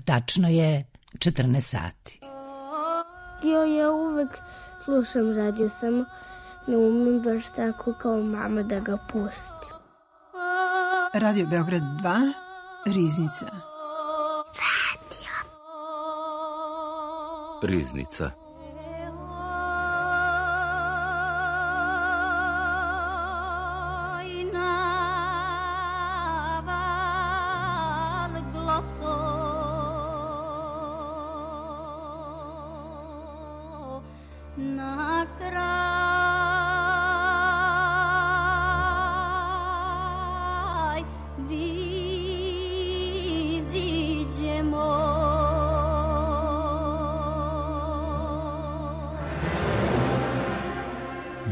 tačno je 14 sati. Ja uvek slušam radio, samo ne umem baš tako kao mama da ga pustim. Radio Beograd 2, Riznica. Riznica.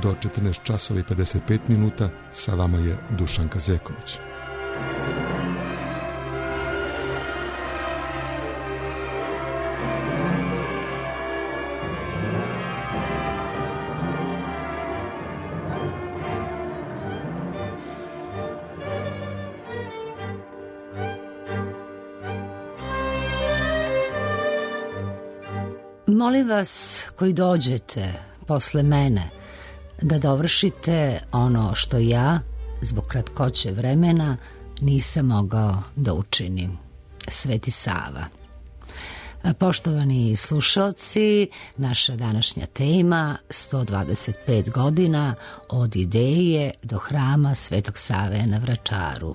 Do 14 časova i 55 minuta sa vama je Dušanka Zeković. Molim vas koji dođete posle mene da dovršite ono što ja, zbog kratkoće vremena, nisam mogao da učinim. Sveti Sava. Poštovani slušalci, naša današnja tema 125 godina od ideje do hrama Svetog Save na Vračaru.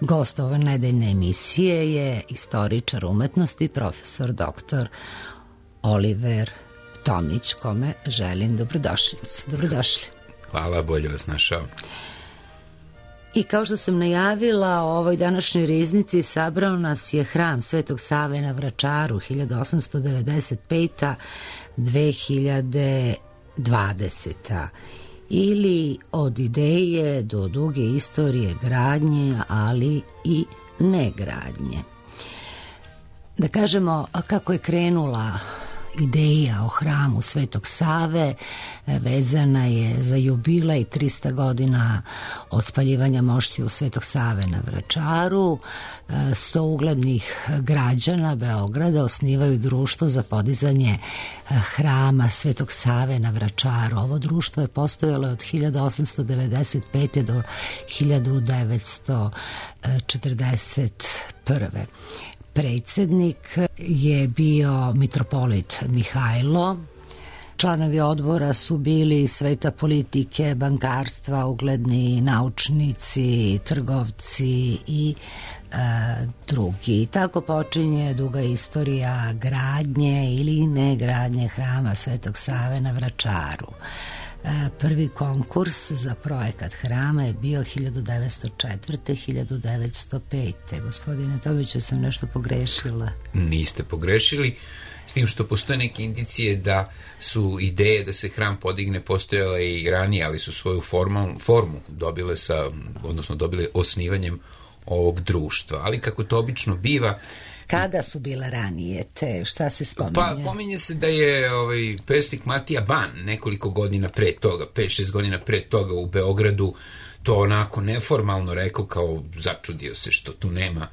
Gost ove nedeljne emisije je istoričar umetnosti, profesor dr. Oliver Tomić, kome želim dobrodošlicu. Dobrodošli. Hvala, bolje vas našao. I kao što sam najavila, u ovoj današnjoj riznici sabrao nas je hram Svetog Save na Vračaru 1895-2020. Ili od ideje do duge istorije gradnje, ali i negradnje. Da kažemo kako je krenula ideja o hramu Svetog Save, vezana je za jubilej 300 godina od spaljivanja moštiju Svetog Save na Vračaru. 100 uglednih građana Beograda osnivaju društvo za podizanje hrama Svetog Save na Vračaru. Ovo društvo je postojalo od 1895. do 1941. Predsjednik je bio mitropolit Mihajlo. Članovi odbora su bili sveta politike, bankarstva, ugledni naučnici, trgovci i drugi. Tako počinje duga istorija gradnje ili negradnje hrama Svetog Save na Vračaru. Prvi konkurs za projekat hrama je bio 1904-1905. Gospodine Tomiću, sam nešto pogrešila? Niste pogrešili, s tim što postoje neke indicije da su ideje da se hram podigne postojale i ranije, ali su svoju formu dobile dobile osnivanjem ovog društva. Ali kako to obično biva, kada su bile ranije te, šta se spominje? Pa pominje se da je pesnik Matija Ban nekoliko godina pre toga, 5-6 godina pre toga u Beogradu to onako neformalno rekao, kao začudio se što tu nema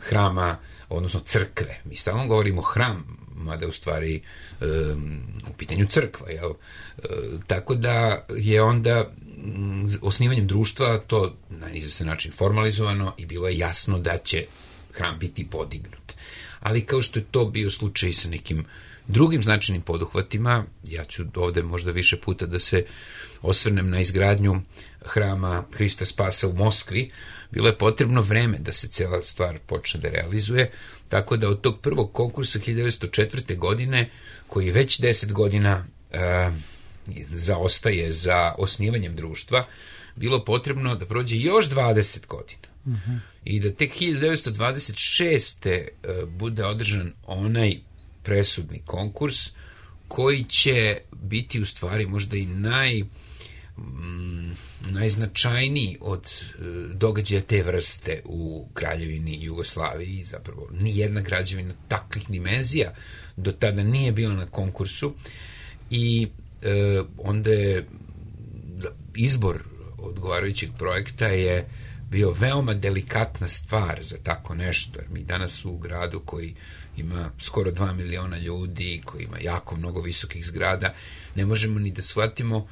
hrama, odnosno crkve. Mi stalno govorimo hram, mada je u stvari u pitanju crkva, jel? Tako da je onda osnivanjem društva to na izvestan način formalizovano i bilo je jasno da će hram biti podignut. Ali kao što je to bio slučaj sa nekim drugim značajnim poduhvatima, ja ću ovde možda više puta da se osvrnem na izgradnju hrama Hrista Spasa u Moskvi, bilo je potrebno vreme da se cela stvar počne da realizuje, tako da od tog prvog konkursa 1904. godine, koji već 10 godina zaostaje za osnivanjem društva, bilo potrebno da prođe još 20 godina. I da tek 1926. bude održan onaj presudni konkurs koji će biti u stvari možda i najznačajniji od događaja te vrste u Kraljevini Jugoslaviji. Zapravo nijedna građevina takvih dimenzija do tada nije bila na konkursu i onda je izbor odgovarajućeg projekta je bio veoma delikatna stvar za tako nešto, jer mi danas u gradu koji ima skoro 2 miliona ljudi, koji ima jako mnogo visokih zgrada, ne možemo ni da shvatimo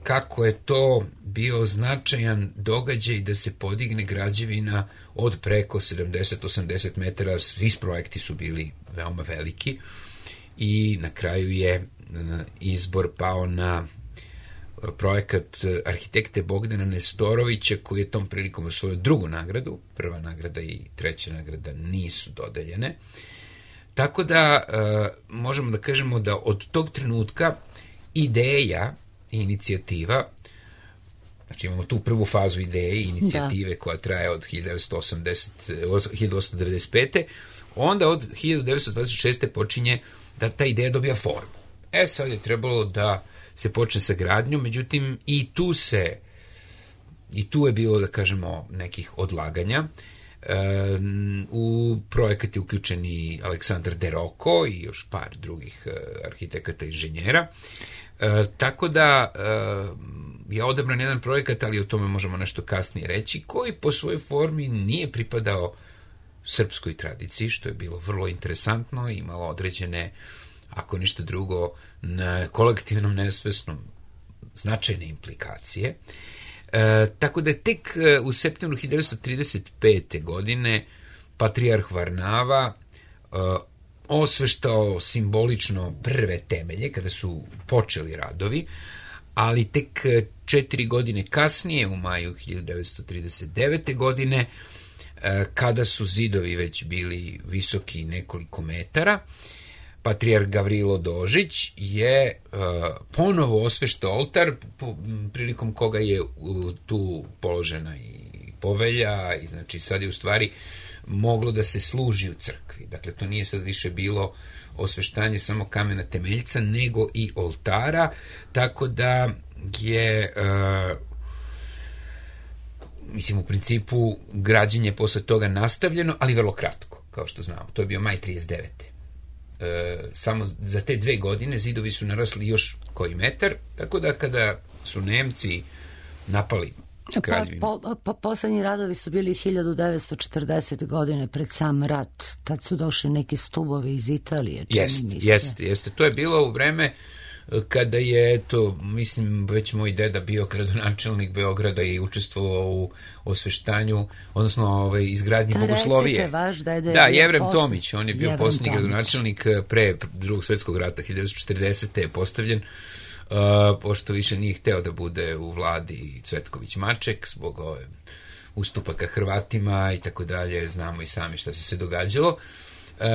kako je to bio značajan događaj da se podigne građevina od preko 70-80 metara, svi projekti su bili veoma veliki i na kraju je izbor pao na projekat arhitekte Bogdana Nestorovića, koji je tom prilikom osvojio drugu nagradu. Prva nagrada i treća nagrada nisu dodeljene. Tako da možemo da kažemo da od tog trenutka ideja i inicijativa, znači imamo tu prvu fazu ideje i inicijative koja traje od 1895. Onda od 1926. počinje da ta ideja dobija formu. Sad je trebalo da se počne sa gradnjom, međutim i tu je bilo, da kažemo, nekih odlaganja. U projekat je uključen i Aleksandar De Rocco i još par drugih arhitekata i inženjera. Tako da je odabran jedan projekat, ali o tome možemo nešto kasnije reći, koji po svojoj formi nije pripadao srpskoj tradiciji, što je bilo vrlo interesantno i imalo određene, ako ništa drugo, na kolektivnom nesvesnom značajne implikacije. Tako da je tek u septembru 1935. godine patrijarh Varnava osveštao simbolično prve temelje kada su počeli radovi, ali tek 4 godine kasnije, u maju 1939. godine, kada su zidovi već bili visoki nekoliko metara, patrijarh Gavrilo Dožić je ponovo osveštao oltar, prilikom koga je tu položena i povelja, i znači sad je u stvari moglo da se služi u crkvi. Dakle, to nije sad više bilo osveštanje samo kamena temeljca, nego i oltara, tako da je u principu građenje posle toga nastavljeno, ali vrlo kratko, kao što znamo. To je bio maj 39. Samo za te 2 godine zidovi su narasli još koji metar, tako da kada su Nemci napali kraljevinu. Poslednji radovi su bili 1940. godine pred sam rat. Tad su došli neki stubovi iz Italije. Jeste. To je bilo u vreme kada je, već moj deda bio gradonačelnik Beograda i učestvovao u osveštanju, odnosno izgradnji bogoslovije. Recite, vaš deda je Jevrem Tomić, on je bio posljednji gradonačelnik pre Drugog svjetskog rata, 1940. je postavljen, pošto više nije hteo da bude u vladi Cvetković Maček, zbog ustupaka Hrvatima i tako dalje, znamo i sami šta se sve događalo.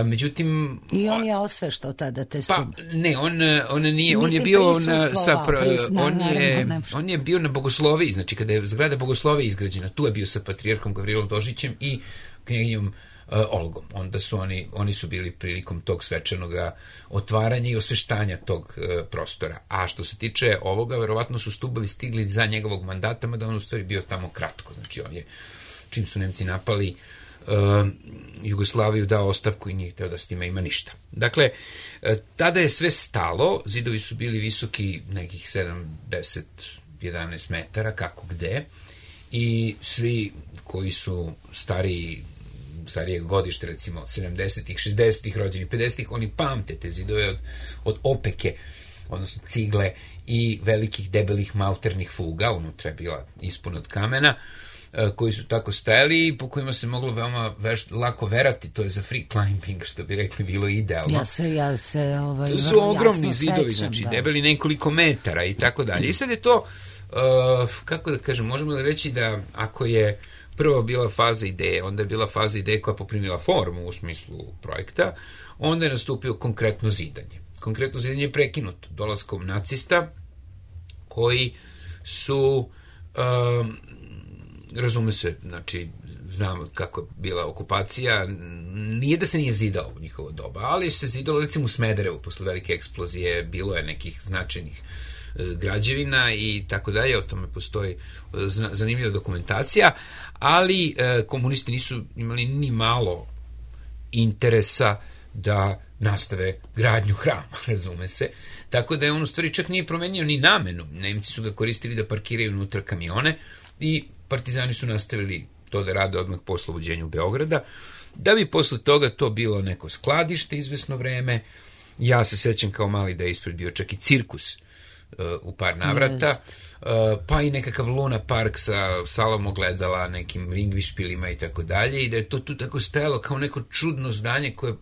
Međutim, i on je osveštao tada te stube. Ne, on nije, on je bio on je bio na bogosloviji, znači kada je zgrada bogoslovije izgrađena, tu je bio sa patrijarhom Gavrilom Dožićem i knjeginjom Olgom. Onda su oni su bili prilikom tog svečanog otvaranja i osveštanja tog prostora. A što se tiče ovoga, verovatno su stubovi stigli za njegovog mandata, mada on u stvari bio tamo kratko. Znači on je, čim su Nemci napali Jugoslaviju, dao ostavku i nije hteo da s time ima ništa. Dakle, tada je sve stalo, zidovi su bili visoki nekih 70-11 metara, kako gde, i svi koji su starijeg godište, recimo 70-ih, 60-ih, rođeni 50-ih, oni pamte te zidove od opeke, odnosno cigle i velikih debelih malternih fuga, unutra je bila ispuna od kamena, koji su tako stajali i po kojima se moglo veoma lako verati. To je za free climbing, što bi rekli, bilo idealno. To su ogromni zidovi, znači debeli nekoliko metara i tako dalje. I sad je to, kako da kažem, možemo da reći da ako je prvo bila faza ideje, onda je bila faza ideje koja poprimila formu u smislu projekta, onda je nastupio konkretno zidanje. Konkretno zidanje je prekinuto dolaskom nacista, koji su razume se, znači znamo kako je bila okupacija, nije da se nije zidalo u njihovo doba, ali se zidalo recimo u Smederevu posle velike eksplozije, bilo je nekih značajnih građevina i tako dalje, o tome postoji zanimljiva dokumentacija, ali komunisti nisu imali ni malo interesa da nastave gradnju hrama, razume se. Tako da je on u stvari čak nije promenio ni namenu. Nemci su ga koristili da parkiraju unutra kamione i partizani su nastavili to da rade odmah po oslobođenju Beograda, da bi posle toga to bilo neko skladište izvesno vreme. Ja se sećam kao mali da je ispred bio čak i cirkus u par navrata, pa i nekakav Luna Park sa salom ogledala, nekim ringvišpilima i tako dalje, i da je to tu tako stajalo kao neko čudno zdanje koje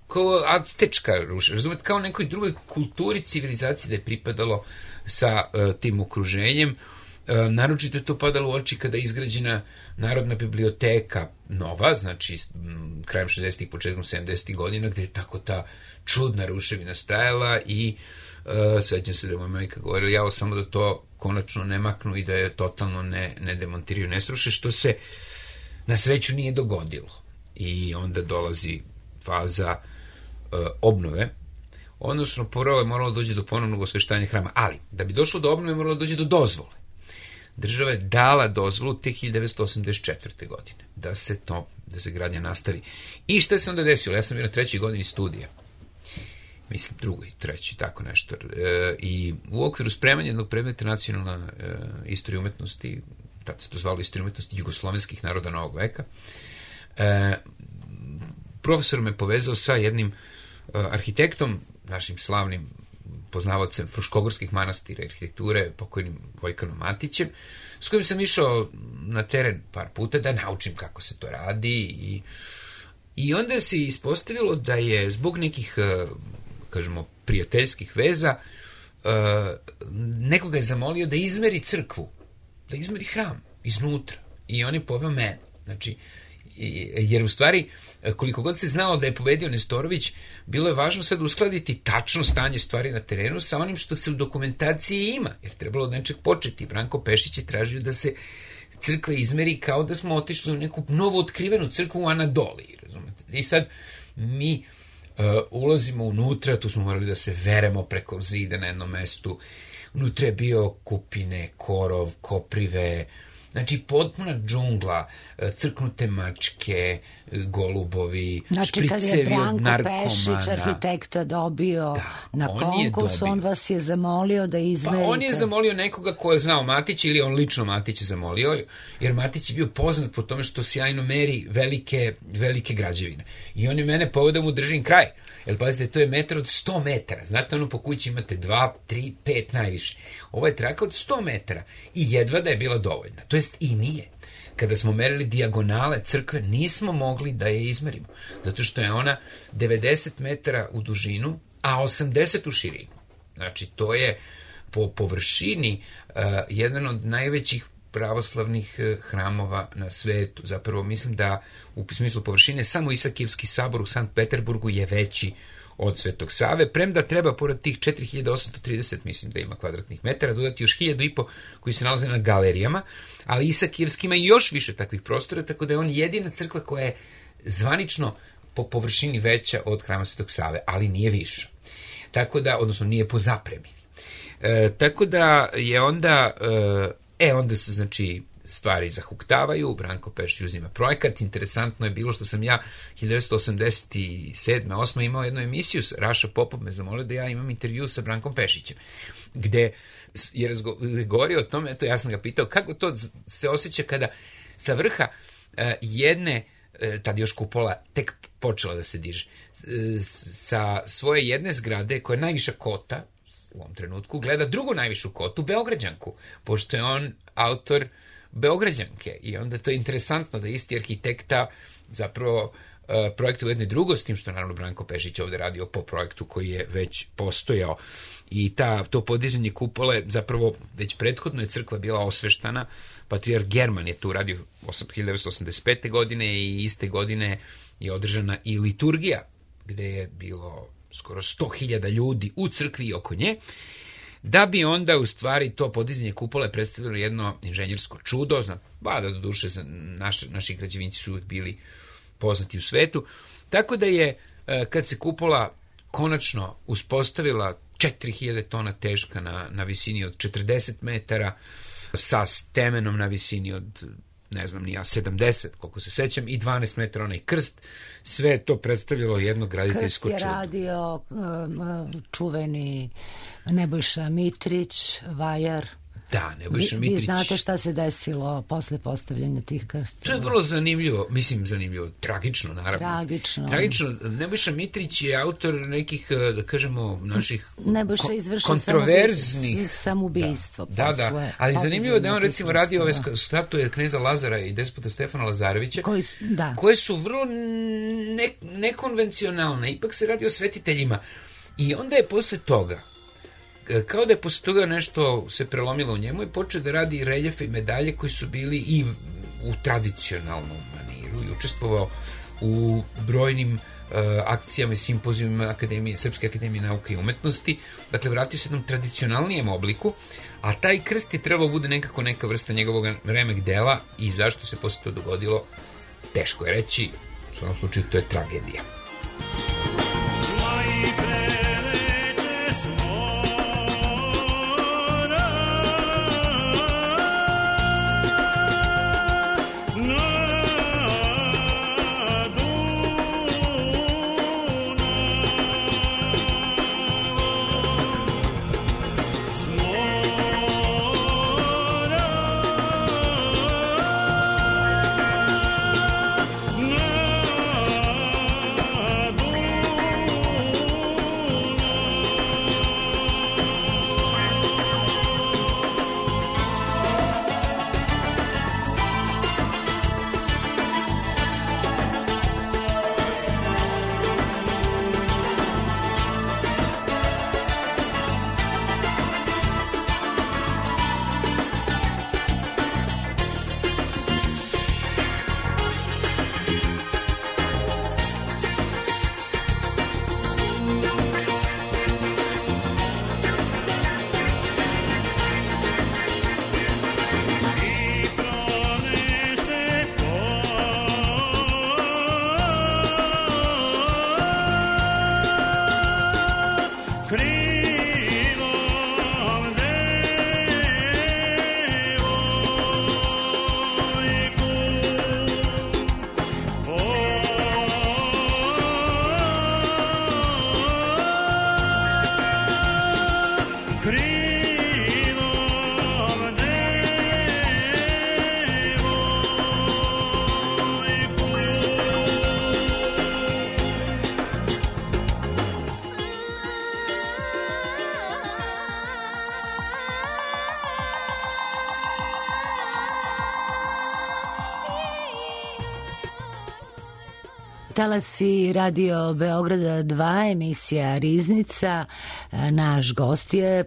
kao aztečka ruša, razumete, kao nekoj drugoj kulturi, civilizaciji da je pripadalo sa tim okruženjem. Naročito je to padalo u oči kada je izgrađena Narodna biblioteka nova, znači krajem 60-ih, početkom 70-ih godina, gde je tako ta čudna ruševina stajala i sećam se da je moja majka govorila, jao samo da to konačno ne maknu i da je totalno ne demontiraju, ne sruše, što se na sreću nije dogodilo. I onda dolazi faza obnove, odnosno prvo je moralo dođe do ponovnog osveštanja hrama, ali da bi došlo do obnove moralo dođe do dozvole. Država je dala dozvolu te 1984. godine da se gradnja nastavi. I šta se onda desilo? Ja sam bio na 3. godini studija. Mislim, 2. i 3. tako nešto. I u okviru spremanja jednog predmeta nacionalna istorija umetnosti, tad se to zvalo istorija umetnosti jugoslovenskih naroda novog veka, profesor me povezao sa jednim arhitektom, našim slavnim poznavalcem Fruškogorskih manastira i arhitekture, pokojnim Vojkanom Matićem, s kojim sam išao na teren par puta da naučim kako se to radi, i onda se ispostavilo da je zbog nekih, kažemo, prijateljskih veza, nekoga je zamolio da izmeri crkvu, da izmeri hram iznutra, i on je poveo mene. Znači, jer u stvari, koliko god se znalo da je pobedio Nestorović, bilo je važno sad uskladiti tačno stanje stvari na terenu sa onim što se u dokumentaciji ima, jer trebalo od nečeg početi. Branko Pešić je tražio da se crkva izmeri kao da smo otišli u neku novo otkrivenu crkvu u Anadoliji, razumete? I sad mi ulazimo unutra, tu smo morali da se veremo preko zida na jednom mestu. Unutra je bio kupine, korov, koprive, znači potpuna džungla, crknute mačke, golubovi, špricevi od narkomana. Znači, kad je Branko Pešić, arhitekta, dobio na konkurs, on vas je zamolio da izmerite. Pa on je zamolio nekoga ko je znao Matić, ili on lično Matić je zamolio, jer Matić je bio poznat po tome što sjajno meri velike građevine. I on je mene poveo da mu držim kraj. Jer pazite, to je metar od 100 metara. Znate, ono po kući imate 2, 3, 5 najviše. Ovo je traka od 100 metara. I jedva da je bila dovoljna. To jest i nije. Kada smo merili dijagonale crkve, nismo mogli da je izmerimo. Zato što je ona 90 metara u dužinu, a 80 u širinu. Znači, to je po površini jedan od najvećih pravoslavnih hramova na svetu. Zapravo mislim da u smislu površine samo Isakijevski sabor u Sankt Peterburgu je veći od Svetog Save, premda treba pored tih 4830, mislim da ima kvadratnih metara, dodati još 1500 koji se nalaze na galerijama, ali Isakijevski ima još više takvih prostora, tako da je on jedina crkva koja je zvanično po površini veća od hrama Svetog Save, ali nije više. Tako da, odnosno nije po zapremini. Tako da je onda onda se, znači, stvari zahuktavaju, Branko Pešić uzima projekat. Interesantno je bilo što sam ja 1987. 8. imao jednu emisiju, Raša Popov me zamolio da ja imam intervju sa Brankom Pešićem, gde je govorio o tome, eto, ja sam ga pitao kako to se osjeća kada sa vrha jedne, tad još kupola tek počela da se diže, sa svoje jedne zgrade koja je najviša kota u ovom trenutku, gleda drugu najvišu kotu, Beograđanku, pošto je on autor Beograđanke. I onda to je interesantno da isti arhitekta zapravo projektuje jedno i drugo, s tim što naravno Branko Pešić ovde radio po projektu koji je već postojao. I to podizanje kupole, zapravo već prethodno je crkva bila osveštana, patrijarh German je tu radio 1985. godine i iste godine je održana i liturgija, gde je bilo skoro 100.000 ljudi u crkvi i oko nje, da bi onda u stvari to podizanje kupole predstavilo jedno inženjersko čudo, da do duše naši građevinci su uvijek bili poznati u svetu, tako da je, kad se kupola konačno uspostavila 4000 tona teška na visini od 40 metara, sa temenom na visini od, ne znam ni ja, 70, koliko se sećam, i 12 metara onaj krst, sve je to predstavilo jedno graditeljsko čudo. Krst je radio čuveni Nebojša Mitrić, vajar. Da, Nebojša Mitrić. Vi znate šta se desilo posle postavljanja tih krstova? To je vrlo zanimljivo, tragično, naravno. Tragično. Nebojša Mitrić je autor nekih, da kažemo, naših kontroverznih samoubistvo. Da, ali zanimljivo da je on recimo radio ove statue kneza Lazara i despota Stefana Lazarevića, koje su vrlo nekonvencionalne, ipak se radi o svetiteljima. I onda je posle toga, kao da je posle toga nešto se prelomilo u njemu i počeo da radi reljefe i medalje koji su bili i u tradicionalnom maniru i učestvovao u brojnim akcijama i simpozijuma Srpske akademije nauke i umetnosti. Dakle, vratio se jednom tradicionalnijem obliku, a taj krst je trebalo bude nekako neka vrsta njegovog remek dela i zašto se posle to dogodilo, teško je reći, u svakom slučaju to je tragedija. Talasi Radio Beograda 2, emisija Riznica. Naš gost je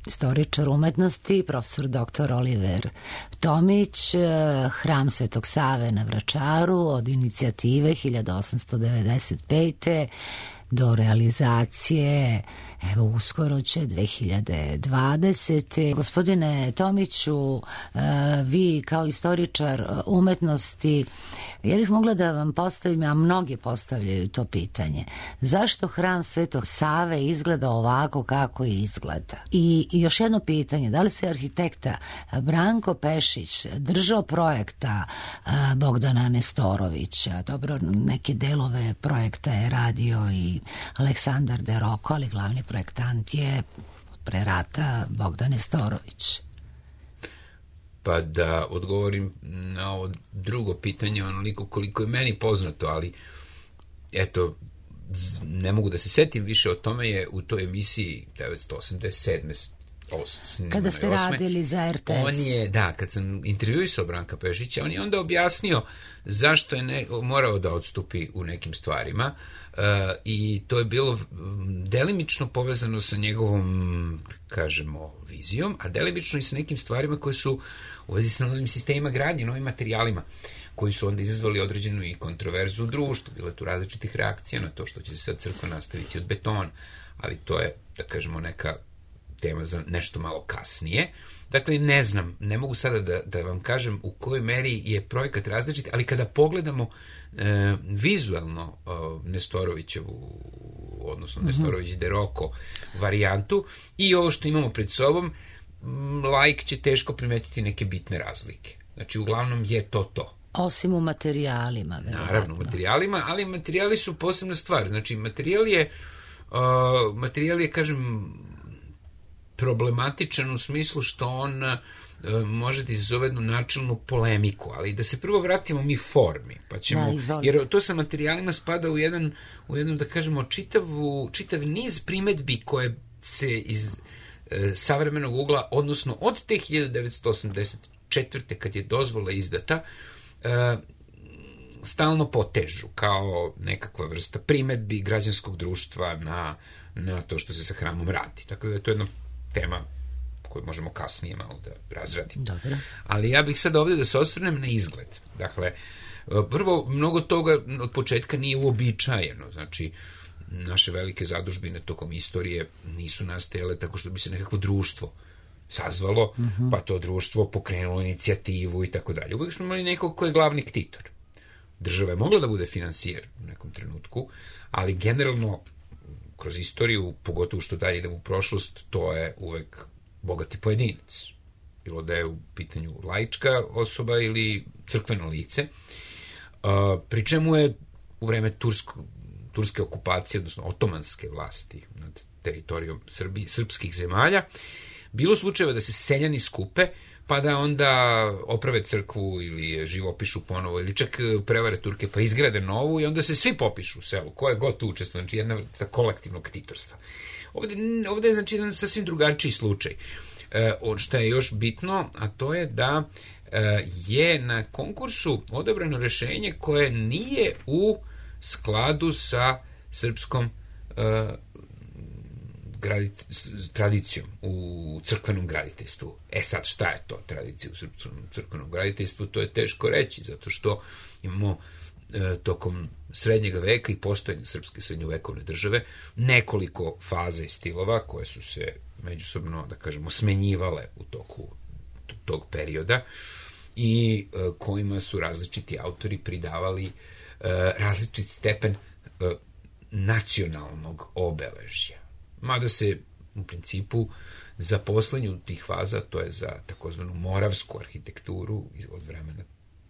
istoričar umetnosti, profesor dr. Oliver Tomić, Hram Svetog Save na Vračaru od inicijative 1895. do realizacije, evo uskoro će 2020. Gospodine Tomiću, vi kao istoričar umetnosti, ja bih mogla da vam postavim, a mnogi postavljaju to pitanje, zašto Hram Svetog Save izgleda ovako kako izgleda? I još jedno pitanje, da li se arhitekta Branko Pešić držao projekta Bogdana Nestorovića? Dobro, neke delove projekta je radio i Aleksandar De Roko, ali glavni projektant je pre rata Bogdan Nestorović. Pa da odgovorim na ovo drugo pitanje onoliko koliko je meni poznato, ali eto, ne mogu da se setim više o tome, je u toj emisiji 1987. Kada ste radili za RTS. On je, kad sam intervjuisao Branka Pešića, on je onda objasnio zašto je morao da odstupi u nekim stvarima i to je bilo delimično povezano sa njegovom, kažemo, vizijom, a delimično i sa nekim stvarima koje su u vezi sa novim sistemima gradnje, novim materijalima, koji su onda izazvali određenu i kontroverzu u društvu. Bilo je tu različitih reakcija na to što će se sad crkva nastaviti od betona, ali to je, da kažemo, neka tema za nešto malo kasnije. Dakle, ne znam, ne mogu sada da vam kažem u kojoj meri je projekat različit, ali kada pogledamo vizualno Nestorovićevu, odnosno Nestorović De Roko varijantu i ovo što imamo pred sobom, laik će teško primetiti neke bitne razlike. Znači, uglavnom je to. Osim u materijalima, verovatno. Naravno, u materijalima, ali materijali su posebna stvar. Znači, materijal je, kažem, problematičan u smislu što on može da izazove jednu načelnu polemiku, ali da se prvo vratimo mi formi, pa ćemo, jer to sa materijalima spada u jedan da kažemo, čitav niz primetbi koje se iz savremenog ugla, odnosno od te 1984. kad je dozvola izdata, stalno potežu kao nekakva vrsta primetbi građanskog društva na to što se sa hramom radi. Tako da je to jedna tema koju možemo kasnije malo da razradimo. Dobro. Ali ja bih sad ovdje da se osvrnem na izgled. Dakle, prvo, mnogo toga od početka nije uobičajeno. Znači, naše velike zadužbine tokom istorije nisu nastajale tako što bi se nekakvo društvo sazvalo, pa to društvo pokrenulo inicijativu i tako dalje. Uvijek smo imali nekog ko je glavni ktitor. Država je mogla da bude finansijer u nekom trenutku, ali generalno kroz istoriju, pogotovo što dalje idemo u prošlost, to je uvek bogati pojedinac. Bilo da je u pitanju laička osoba ili crkveno lice. Pri čemu je u vreme turske okupacije, odnosno otomanske vlasti nad teritorijom srpskih zemalja, bilo slučajeva da se seljani skupe, pa da onda oprave crkvu ili je živopišu ponovo, ili čak prevare Turke pa izgrade novu i onda se svi popišu u selu, ko je god tu učestvuje, znači jedna vrsta kolektivnog ktitorstva. Ovde je znači jedan sasvim drugačiji slučaj. Što je još bitno, a to je da je na konkursu odabrano rešenje koje nije u skladu sa srpskom tradicijom u crkvenom graditeljstvu. Sad, šta je to tradicija u srpskom crkvenom graditeljstvu? To je teško reći, zato što imamo tokom srednjeg veka i postojanja srpske srednjovekovne države nekoliko faza i stilova koje su se međusobno, da kažemo, smenjivale u toku tog perioda i kojima su različiti autori pridavali različit stepen nacionalnog obeležja. Mada se u principu za poslednju tih faza, to je za takozvanu moravsku arhitekturu od vremena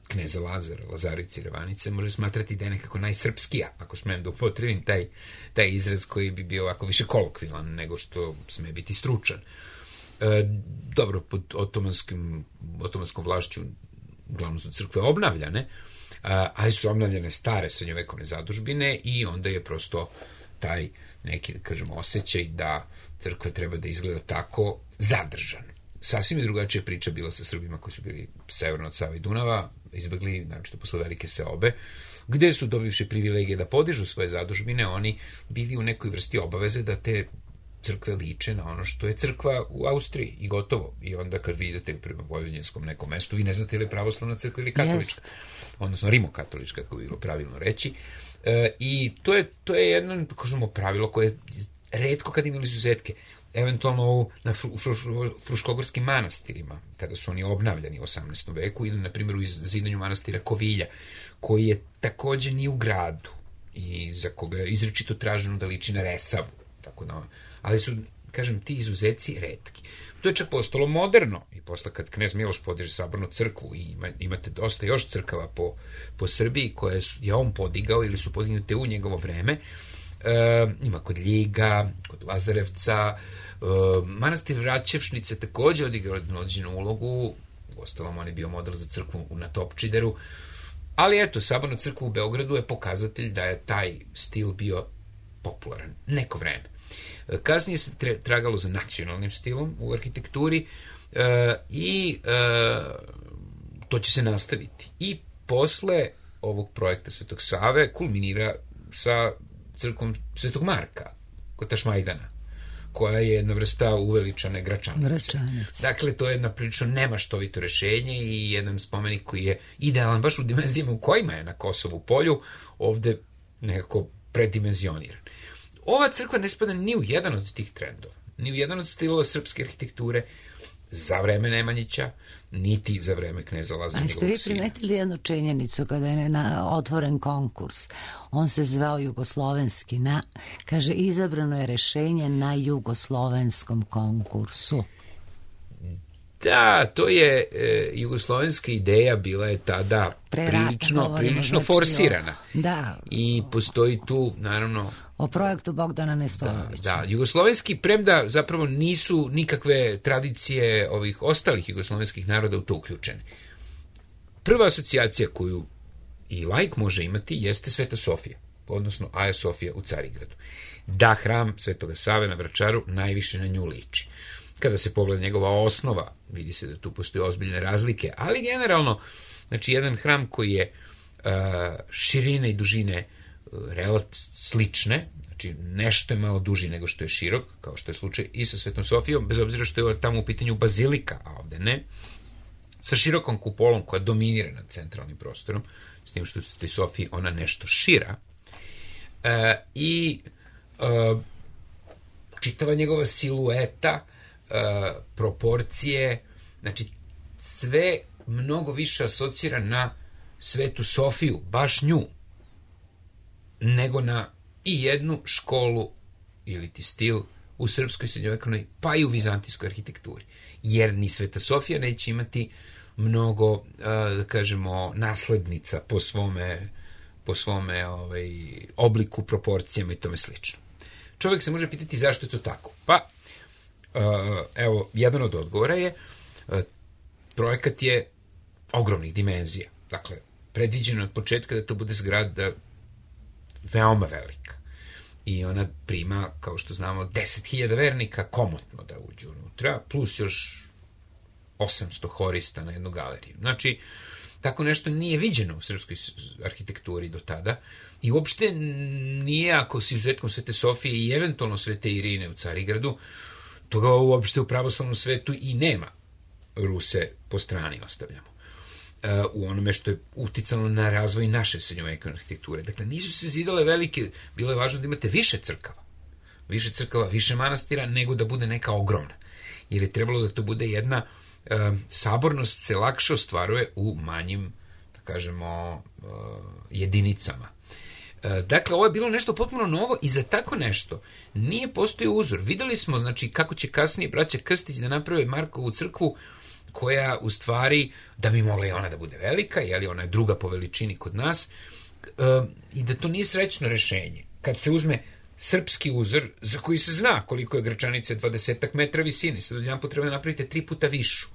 kneza Lazara, Lazarice i Revanice, može smatrati da je nekako najsrpskija, ako smem da upotrebim taj izraz koji bi bio ovako više kolokvilan nego što sme biti stručan. Dobro, pod otomanskom vlašću uglavnom su crkve obnavljane, ali su obnavljane stare srednjovekovne zadužbine i onda je prosto taj neki, da kažemo, osjećaj da crkva treba da izgleda tako zadržan. Sasvim je drugačija priča bila sa Srbima koji su bili severno od Save i Dunava, izbegli, naročito posle velike seobe, gde su dobivši privilegije da podižu svoje zadužbine, oni bili u nekoj vrsti obaveze da te crkve liče na ono što je crkva u Austriji i gotovo. I onda kad vi idete prema vojvođanskom nekom mestu, vi ne znate ili je pravoslavna crkva ili katolička. Odnosno rimokatolička, kako bi bilo pravilno reći. I to je jedno, kažemo, pravilo koje je retko kad imali izuzetke. Eventualno na fruškogorskim manastirima, kada su oni obnavljani u 18. veku, ili na primjer u zidanju manastira Kovilja, koji je takođe ni u gradu i za koga je izričito traženo da liči na Resavu. Tako da, ali su, kažem, ti izuzeci retki. To je čak postalo moderno i posle kad knez Miloš podiže sabornu crkvu i imate dosta još crkava po Srbiji koje je on podigao ili su podignute u njegovo vreme. Ima kod Ljiga, kod Lazarevca, manastir Račevšnice takođe odigrao određenu ulogu, uostalom on je bio model za crkvu na Topčideru, ali eto, saborna crkva u Beogradu je pokazatelj da je taj stil bio popularan neko vreme. Kasnije se tragalo za nacionalnim stilom u arhitekturi i to će se nastaviti. I posle ovog projekta Svetog Save kulminira sa crkvom Svetog Marka kod Tašmajdana, koja je jedna vrsta uveličane Gračanice. Dakle, to je jedna prilično nemaštovito rešenje i jedan spomenik koji je idealan baš u dimenzijama u kojima je na Kosovu polju, ovde nekako predimenzioniran. Ova crkva ne spada ni u jedan od tih trendova, ni u jedan od stilova srpske arhitekture za vreme Nemanjića, niti za vreme kneza Lazara. Ali ste vi primetili jednu činjenicu kada je otvoren konkurs? On se zvao jugoslovenski, kaže, izabrano je rešenje na jugoslovenskom konkursu. Da, to je jugoslovenska ideja, bila je tada prilično forsirana. Da. I postoji tu, naravno... O projektu Bogdana Nestorovića. Da, jugoslovenski, premda zapravo nisu nikakve tradicije ovih ostalih jugoslovenskih naroda u to uključene. Prva asocijacija koju i laik može imati jeste Sveta Sofija, odnosno Aja Sofija u Carigradu. Da, hram Svetoga Save na Vračaru najviše na nju liči. Kada se pogleda njegova osnova, vidi se da tu postoje ozbiljne razlike, ali generalno, znači jedan hram koji je širine i dužine slične, znači nešto je malo duži nego što je širok, kao što je slučaj i sa Svetom Sofijom, bez obzira što je tamo u pitanju bazilika, a ovde ne, sa širokom kupolom koja dominira nad centralnim prostorom, s tim što u Svetoj Sofiji ona nešto šira, i čitava njegova silueta, proporcije, znači sve mnogo više asocira na Svetu Sofiju, baš nju, nego na i jednu školu ili ti stil u srpskoj srednjovekovnoj, pa i u vizantijskoj arhitekturi. Jer ni Sveta Sofija neće imati mnogo, da kažemo, naslednica po svome obliku, proporcijama i tome slično. Čovjek se može pitati zašto je to tako. Pa, evo, jedan od odgovora je, projekat je ogromnih dimenzija. Dakle, predviđeno od početka da to bude zgrada veoma velika. I ona prima, kao što znamo, 10.000 vernika komotno da uđu unutra, plus još 800 horista na jednu galeriju. Znači, tako nešto nije viđeno u srpskoj arhitekturi do tada i uopšte nije, ako s izuzetkom Svete Sofije i eventualno Svete Irine u Carigradu, toga uopšte u pravoslavnom svetu i nema. Ruse po strani ostavljamo. U onome što je uticalo na razvoj naše srednjovekovne arhitekture. Dakle, nisu se zidale velike, bilo je važno da imate više crkava, više manastira, nego da bude neka ogromna. Jer je trebalo da to bude jedna sabornost se lakše ostvaruje u manjim, da kažemo, jedinicama. Dakle, ovo je bilo nešto potpuno novo i za tako nešto nije postojao uzor. Videli smo, znači, kako će kasnije braća Krstić da naprave Markovu crkvu, koja u stvari, da bi mogla i ona da bude velika, jer ona je druga po veličini kod nas, i da to nije srećno rešenje. Kad se uzme srpski uzor, za koji se zna koliko je Gračanice 20 metra visine, sad odjedan potrebno napravite 3 puta višu.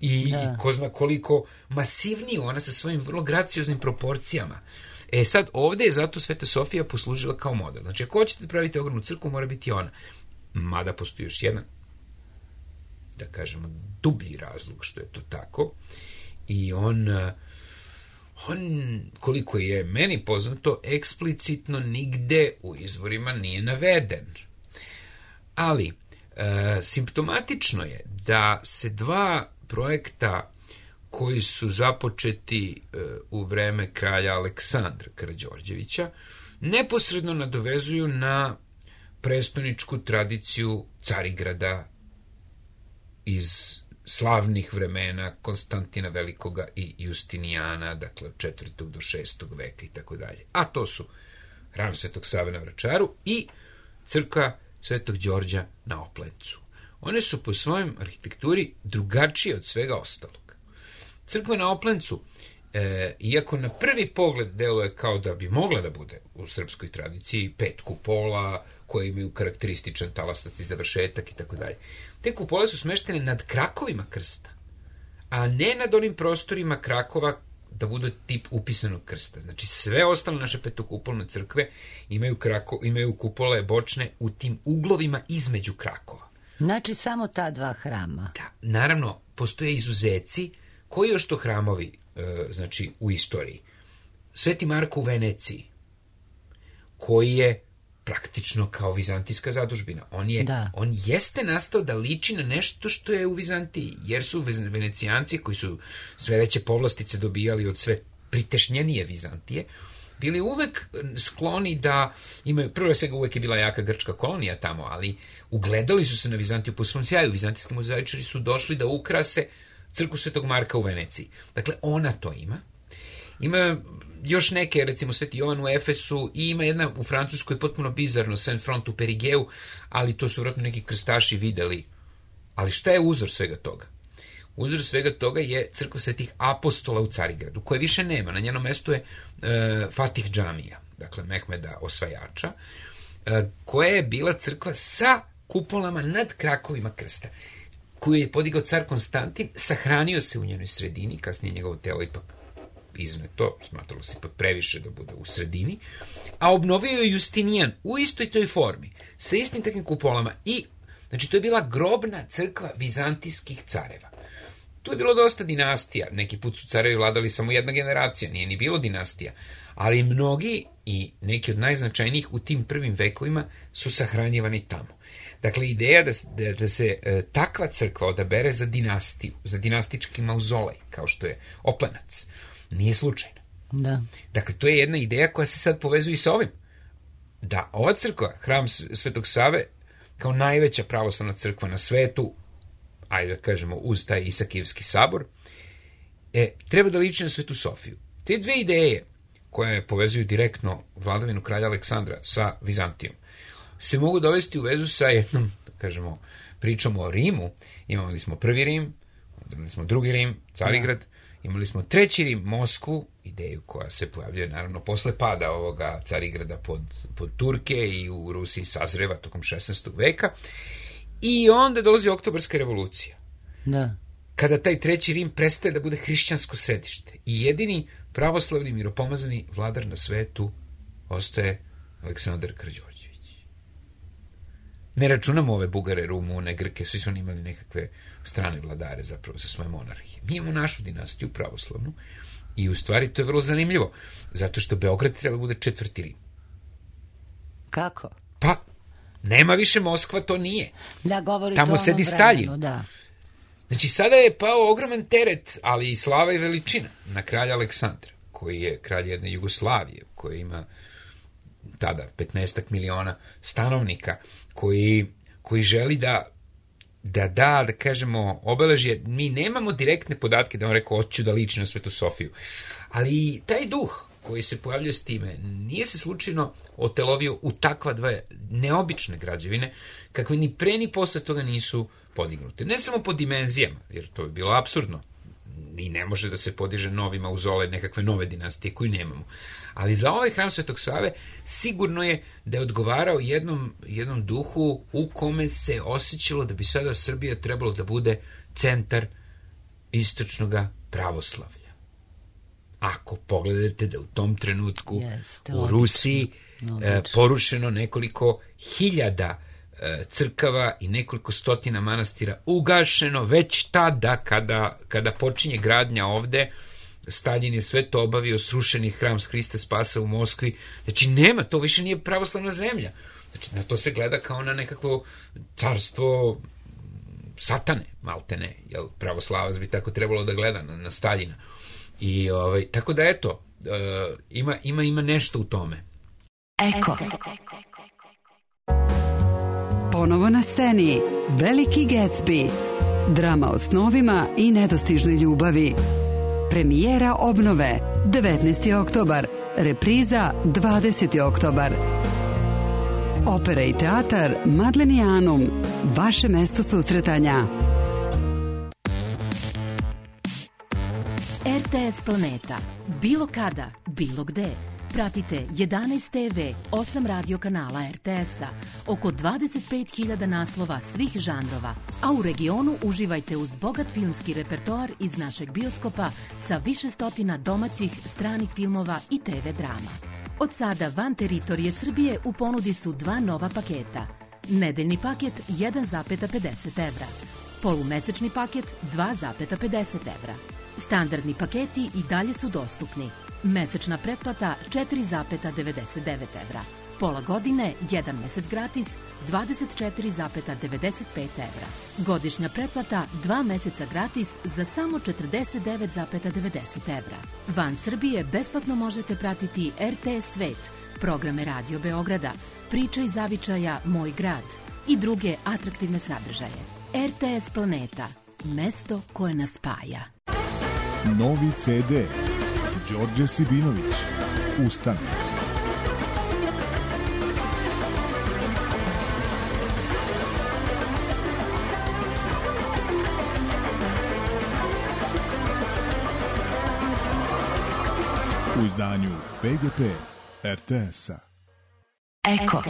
I ko zna koliko masivniju ona sa svojim vrlo gracioznim proporcijama. Sad, ovde je zato Sveta Sofija poslužila kao model. Znači, ako hoćete da pravite ogromnu crkvu, mora biti ona. Mada postoji još jedan, da kažemo, dublji razlog što je to tako. I on, koliko je meni poznato, eksplicitno nigde u izvorima nije naveden. Ali, simptomatično je da se dva projekta koji su započeti u vreme kralja Aleksandra Karađorđevića neposredno nadovezuju na prestoničku tradiciju Carigrada iz slavnih vremena Konstantina Velikoga i Justinijana, dakle od 4. do 6. veka i tako dalje. A to su hram Svetog Save na Vračaru i crkva Svetog Đorđa na Oplencu. One su po svojoj arhitekturi drugačije od svega ostalog. Crkva na Oplencu, iako na prvi pogled deluje kao da bi mogla da bude u srpskoj tradiciji, 5 kupola koje imaju karakterističan talastac i završetak i tako dalje. Te kupole su smeštene nad krakovima krsta, a ne nad onim prostorima krakova da budu tip upisanog krsta. Znači, sve ostale naše petokupolne crkve imaju kupole bočne u tim uglovima između krakova. Znači, samo ta dva hrama. Da, naravno, postoje izuzeci. Koji još to hramovi, znači, u istoriji? Sveti Marko u Veneciji, koji je praktično kao vizantijska zadužbina. On jeste nastao da liči na nešto što je u Vizantiji, jer su Venecijanci, koji su sve veće povlastice dobijali od sve pritešnjenije Vizantije, bili uvek skloni da imaju, prvo svega uvek je bila jaka grčka kolonija tamo, ali ugledali su se na Vizantiju po svom sjaju. Vizantijski mozaičari su došli da ukrase crkvu Svetog Marka u Veneciji. Dakle, ona to ima. Ima još neke, recimo Sveti Jovan u Efesu, i ima jedna u Francuskoj potpuno bizarno, Saint-Front u Perigeu, ali to su vjerojatno neki krstaši videli. Ali šta je uzor svega toga? uzor svega toga je crkva Svetih apostola u Carigradu, koje više nema. Na njenom mestu je Fatih džamija, dakle Mehmeda Osvajača, koja je bila crkva sa kupolama nad krakovima krsta, koju je podigao car Konstantin, sahranio se u njenoj sredini, kasnije njegovo telo ipak izneto, smatralo se ipak previše da bude u sredini, a obnovio je Justinijan u istoj toj formi, sa istim takvim kupolama i, znači, to je bila grobna crkva vizantijskih careva. Tu je bilo dosta dinastija, neki put su carevi vladali samo jedna generacija, nije ni bilo dinastija, ali mnogi i neki od najznačajnijih u tim prvim vekovima su sahranjivani tamo. Dakle, ideja da se takva crkva odabere za dinastiju, za dinastički mauzolej, kao što je Oplenac, nije slučajno. Da. Dakle, to je jedna ideja koja se sad povezuje i sa ovim. Da ova crkva, hram Svetog Save, kao najveća pravoslavna crkva na svetu, ajde da kažemo uz taj Isakijevski sabor, treba da liči na Svetu Sofiju. Te dve ideje koje povezuju direktno vladavinu kralja Aleksandra sa Vizantijom se mogu dovesti u vezu sa jednom, da kažemo, pričom o Rimu. Imali smo prvi Rim, imali smo drugi Rim, Carigrad, imali smo treći Rim, Moskvu, ideju koja se pojavljuje naravno posle pada ovoga Carigrada pod Turke i u Rusiji sazreva tokom 16. veka. I onda dolazi Oktobarska revolucija. Da. Kada taj treći Rim prestaje da bude hrišćansko središte i jedini pravoslavni miropomazani vladar na svetu ostaje Aleksandar Karađorđević. Ne računamo ove Bugare, Rumune, Grke, svi su oni imali nekakve strane vladare zapravo za svoje monarhije. Mi imamo našu dinastiju pravoslavnu i u stvari to je vrlo zanimljivo, zato što Beograd treba bude četvrti Rim. Kako? Pa, nema više Moskva, to nije. Da, govori tamo sedi Staljin. Da. Znači, sada je pao ogroman teret, ali i slava i veličina na kralja Aleksandra, koji je kralj jedne Jugoslavije, koji ima tada 15 miliona stanovnika, koji želi da kažemo, obeležje. Mi nemamo direktne podatke da on rekao, hoću da liči na Svetu Sofiju. Ali taj duh koji se pojavljuje s time, nije se slučajno otelovio u takva dve neobične građevine, kakve ni pre ni posle toga nisu podignute. Ne samo po dimenzijama, jer to je bilo apsurdno. I ne može da se podiže novi mauzolej nekakve nove dinastije koju nemamo. Ali za ovaj hram Svetog Save sigurno je da je odgovarao jednom duhu u kome se osjećalo da bi sada Srbija trebalo da bude centar istočnog pravoslavlja. Ako pogledate da u tom trenutku u Rusiji porušeno nekoliko hiljada crkava i nekoliko stotina manastira, ugašeno već tada kada počinje gradnja ovde, Staljin je sve to obavio, srušeni hram Hrista Spasa u Moskvi. Znači nema, to više nije pravoslavna zemlja. Znači na to se gleda kao na nekakvo carstvo satane, maltene, jel pravoslavac bi tako trebalo da gleda na Staljina. I tako da eto, ima nešto u tome. Eko. Ponovo na sceni Veliki Gatsby, drama o snovima i nedostižnoj ljubavi. Premijera obnove 19. oktobar, repriza 20. oktobar. Opera i teatar Madlenianum, vaše mesto susretanja. RTS Planeta. Bilo kada, bilo gde. Pratite 11 TV, 8 radio kanala RTS-a, oko 25.000 naslova svih žanrova, a u regionu uživajte uz bogat filmski repertoar iz našeg bioskopa sa više stotina domaćih, stranih filmova i TV drama. Od sada van teritorije Srbije u ponudi su dva nova paketa. Nedeljni paket 1,50 evra, polumesečni paket 2,50 evra. Standardni paketi i dalje su dostupni. Mesečna pretplata 4,99 evra. Pola godine, 1 mesec gratis, 24,95 evra. Godišnja pretplata 2 meseca gratis za samo 49,90 evra. Van Srbije besplatno možete pratiti RTS Svet, programe Radio Beograda, Priča iz zavičaja Moj grad i druge atraktivne sadržaje. RTS Planeta, mesto koje nas spaja. Novi CD. Đorđe Sibinović. Ustane. u izdanju PGP RTS-a. Eko.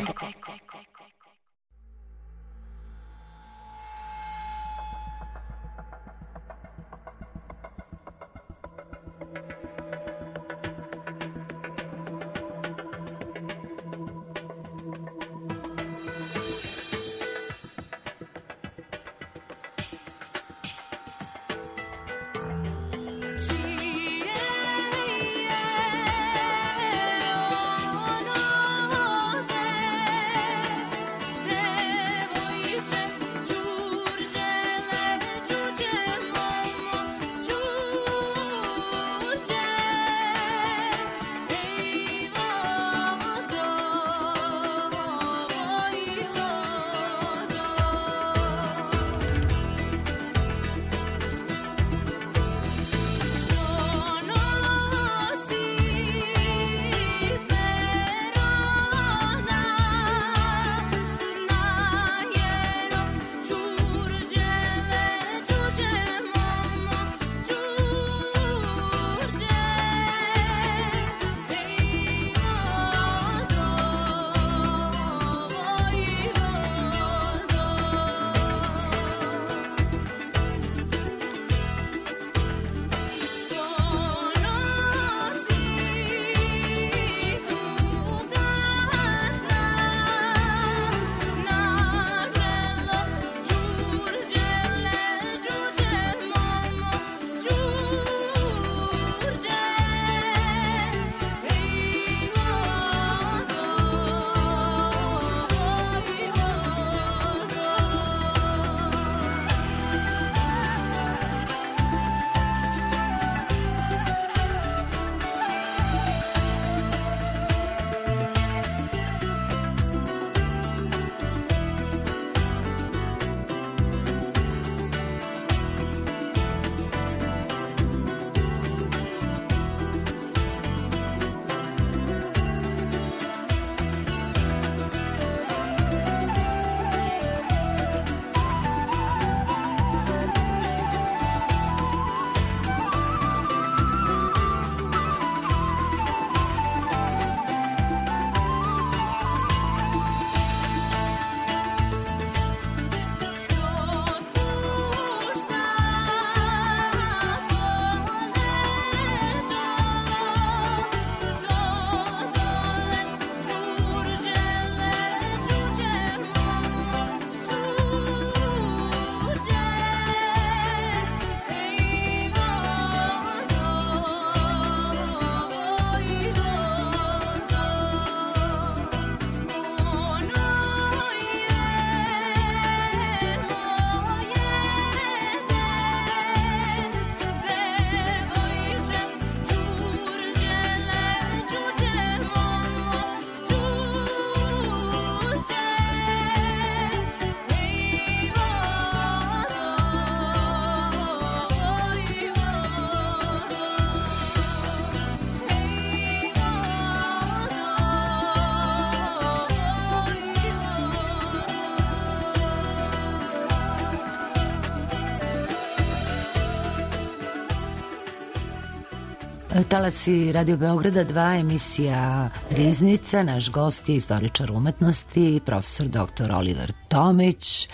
Talasi Radio Beograda 2, emisija Riznica. Naš gost je istoričar umetnosti, profesor dr. Oliver Tomić.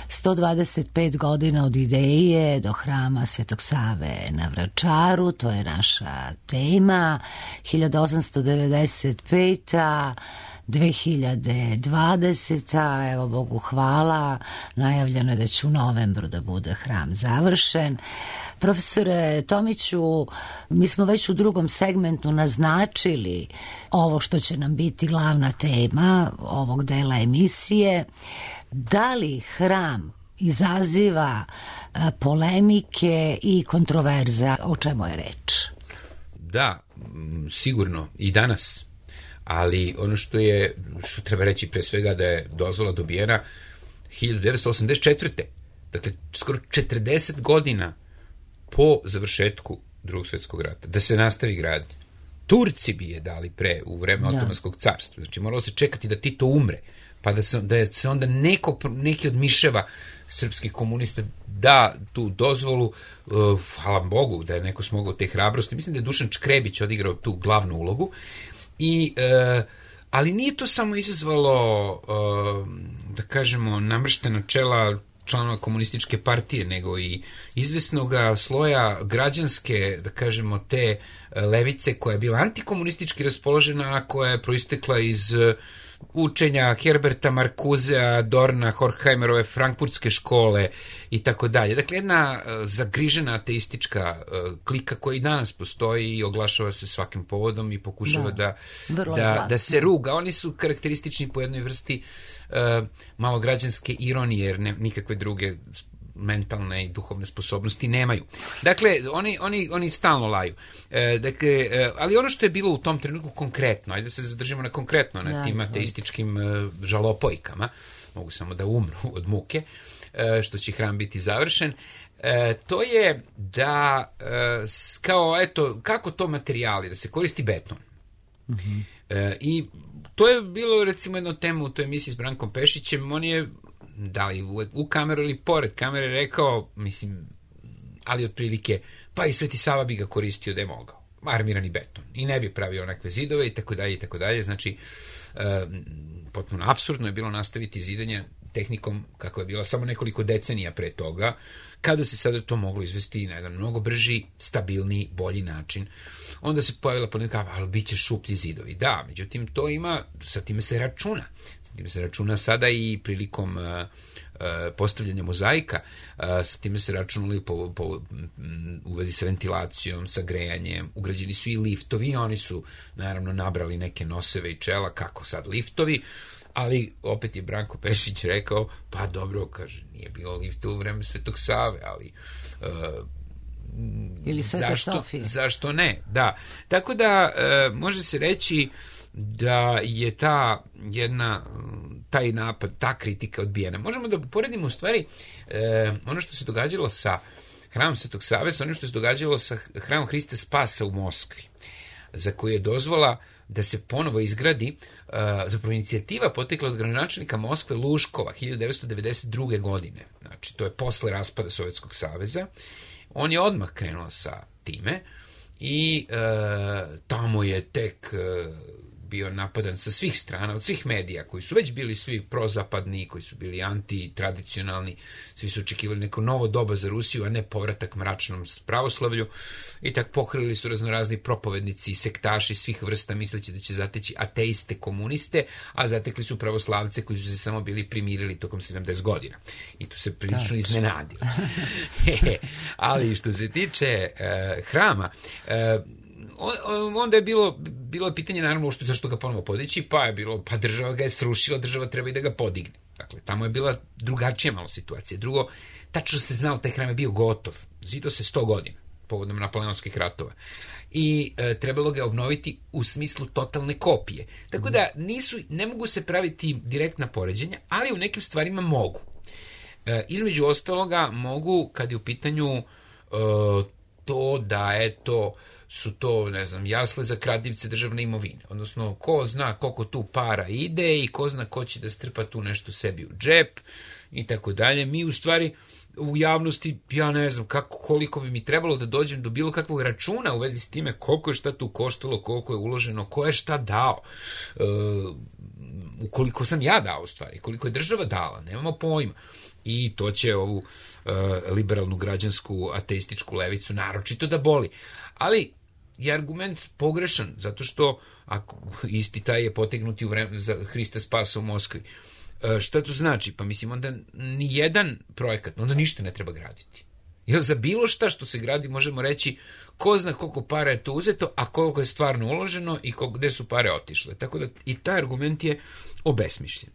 125 godina od ideje do hrama Svetog Save na Vračaru, to je naša tema. 1895. 2020. Evo Bogu hvala, najavljeno je da će u novembru da bude hram završen. Profesore Tomiću, mi smo već u drugom segmentu naznačili ovo što će nam biti glavna tema ovog dela emisije. Da li hram izaziva polemike i kontroverza? O čemu je reč? Da, sigurno i danas. Ali ono što treba reći pre svega da je dozvola dobijena 1984. Dakle, skoro 40 godina po završetku Drugog svjetskog rata, da se nastavi gradnja. Turci bi je dali u vreme Otomanskog carstva. Znači, moralo se čekati da Tito umre, pa da se onda neki od miševa srpskih komunista da tu dozvolu, hvala Bogu da je neko smogao te hrabrosti. Mislim da je Dušan Čkrebić odigrao tu glavnu ulogu. Ali nije to samo izazvalo, da kažemo, namrštena čela članova komunističke partije, nego i izvesnog sloja građanske, da kažemo, te levice koja je bila antikomunistički raspoložena, a koja je proistekla iz učenja Herberta Marcusea, Dorna, Horkheimerove frankfurtske škole i tako dalje. Dakle, jedna zagrižena ateistička klika koja i danas postoji i oglašava se svakim povodom i pokušava da se ruga. Oni su karakteristični po jednoj vrsti malograđanske ironije, jer nikakve druge mentalne i duhovne sposobnosti nemaju. Dakle, oni stalno laju. Ali ono što je bilo u tom trenutku konkretno, ajde da se zadržimo na konkretno, na tim ateističkim žalopojkama, mogu samo da umru od muke, što će hram biti završen, to je da, kao, eto, kako to materijali, da se koristi beton. Mm-hmm. I to je bilo, recimo, jedno tema u toj emisiji s Brankom Pešićem. On je, da li u kameru ili pored kamere, rekao, mislim, ali otprilike, pa i Sveti Sava bi ga koristio da je mogao. Armirani beton. I ne bi pravio onakve zidove i tako dalje i tako dalje. Znači, potpuno apsurdno je bilo nastaviti zidanje tehnikom kako je bila samo nekoliko decenija pre toga, kada se sada to moglo izvesti na jedan mnogo brži, stabilniji, bolji način. Onda se pojavila ponekad, ali bit će šuplji zidovi. Da, međutim, to ima, sa time se računa. Sa time se računa sada i prilikom postavljanja mozaika, sa time se računali u vezi sa ventilacijom, sa grejanjem, ugrađeni su i liftovi, oni su naravno nabrali neke noseve i čela, kako sad liftovi, ali opet je Branko Pešić rekao, pa dobro, kaže, nije bilo lifta u vreme Svetog Save, ali ili Sveta Sofija. Zašto ne? Da. Tako da može se reći da je taj napad, ta kritika odbijena. Možemo da poredimo u stvari ono što se događalo sa hramom Svetog Save sa onim što se događalo sa hramom Hrista Spasa u Moskvi, za koju je dozvola da se ponovo izgradi, zapravo inicijativa potekla od gradonačelnika Moskve Luškova 1992. godine. Znači, to je posle raspada Sovjetskog saveza. On je odmah krenuo sa time i tamo je tek bio napadan sa svih strana, od svih medija, koji su već bili svi prozapadni, koji su bili antitradicionalni, svi su očekivali neko novo doba za Rusiju, a ne povratak mračnom pravoslavlju, i tak pohrlili su raznorazni propovednici i sektaši svih vrsta, misleći da će zateći ateiste, komuniste, a zatekli su pravoslavce koji su se samo bili primirili tokom 70 godina. I tu se prilično iznenadili. Ali što se tiče hrama, onda je bilo pitanje, naravno, zašto ga ponovo podići, pa je bilo, pa država ga je srušila, država treba i da ga podigne. Dakle, tamo je bila drugačija malo situacija. Drugo, tačno se znalo, taj hram je bio gotov. Zidao se 100 godina, povodom napoleonskih ratova. I trebalo ga obnoviti u smislu totalne kopije. Tako da ne mogu se praviti direktna poređenja, ali u nekim stvarima mogu. Između ostaloga mogu, kad je u pitanju to da su to, ne znam, jasle za kradljivce državne imovine. Odnosno, ko zna koliko tu para ide i ko zna ko će da strpa tu nešto sebi u džep i tako dalje. Mi u stvari u javnosti, ja ne znam koliko bi mi trebalo da dođem do bilo kakvog računa u vezi s time koliko je šta tu koštalo, koliko je uloženo, ko je šta dao. Ukoliko sam ja dao u stvari, koliko je država dala, nemamo pojma. I to će ovu liberalnu građansku ateističku levicu naročito da boli. Ali je argument pogrešan, zato što ako isti taj je potegnuti u vreme za Hrista Spasa u Moskvi. Šta to znači? Pa mislim, onda ni jedan projekat, onda ništa ne treba graditi. Jer za bilo šta što se gradi možemo reći ko zna koliko para je to uzeto, a koliko je stvarno uloženo i gde su pare otišle. Tako da i taj argument je obesmišljen.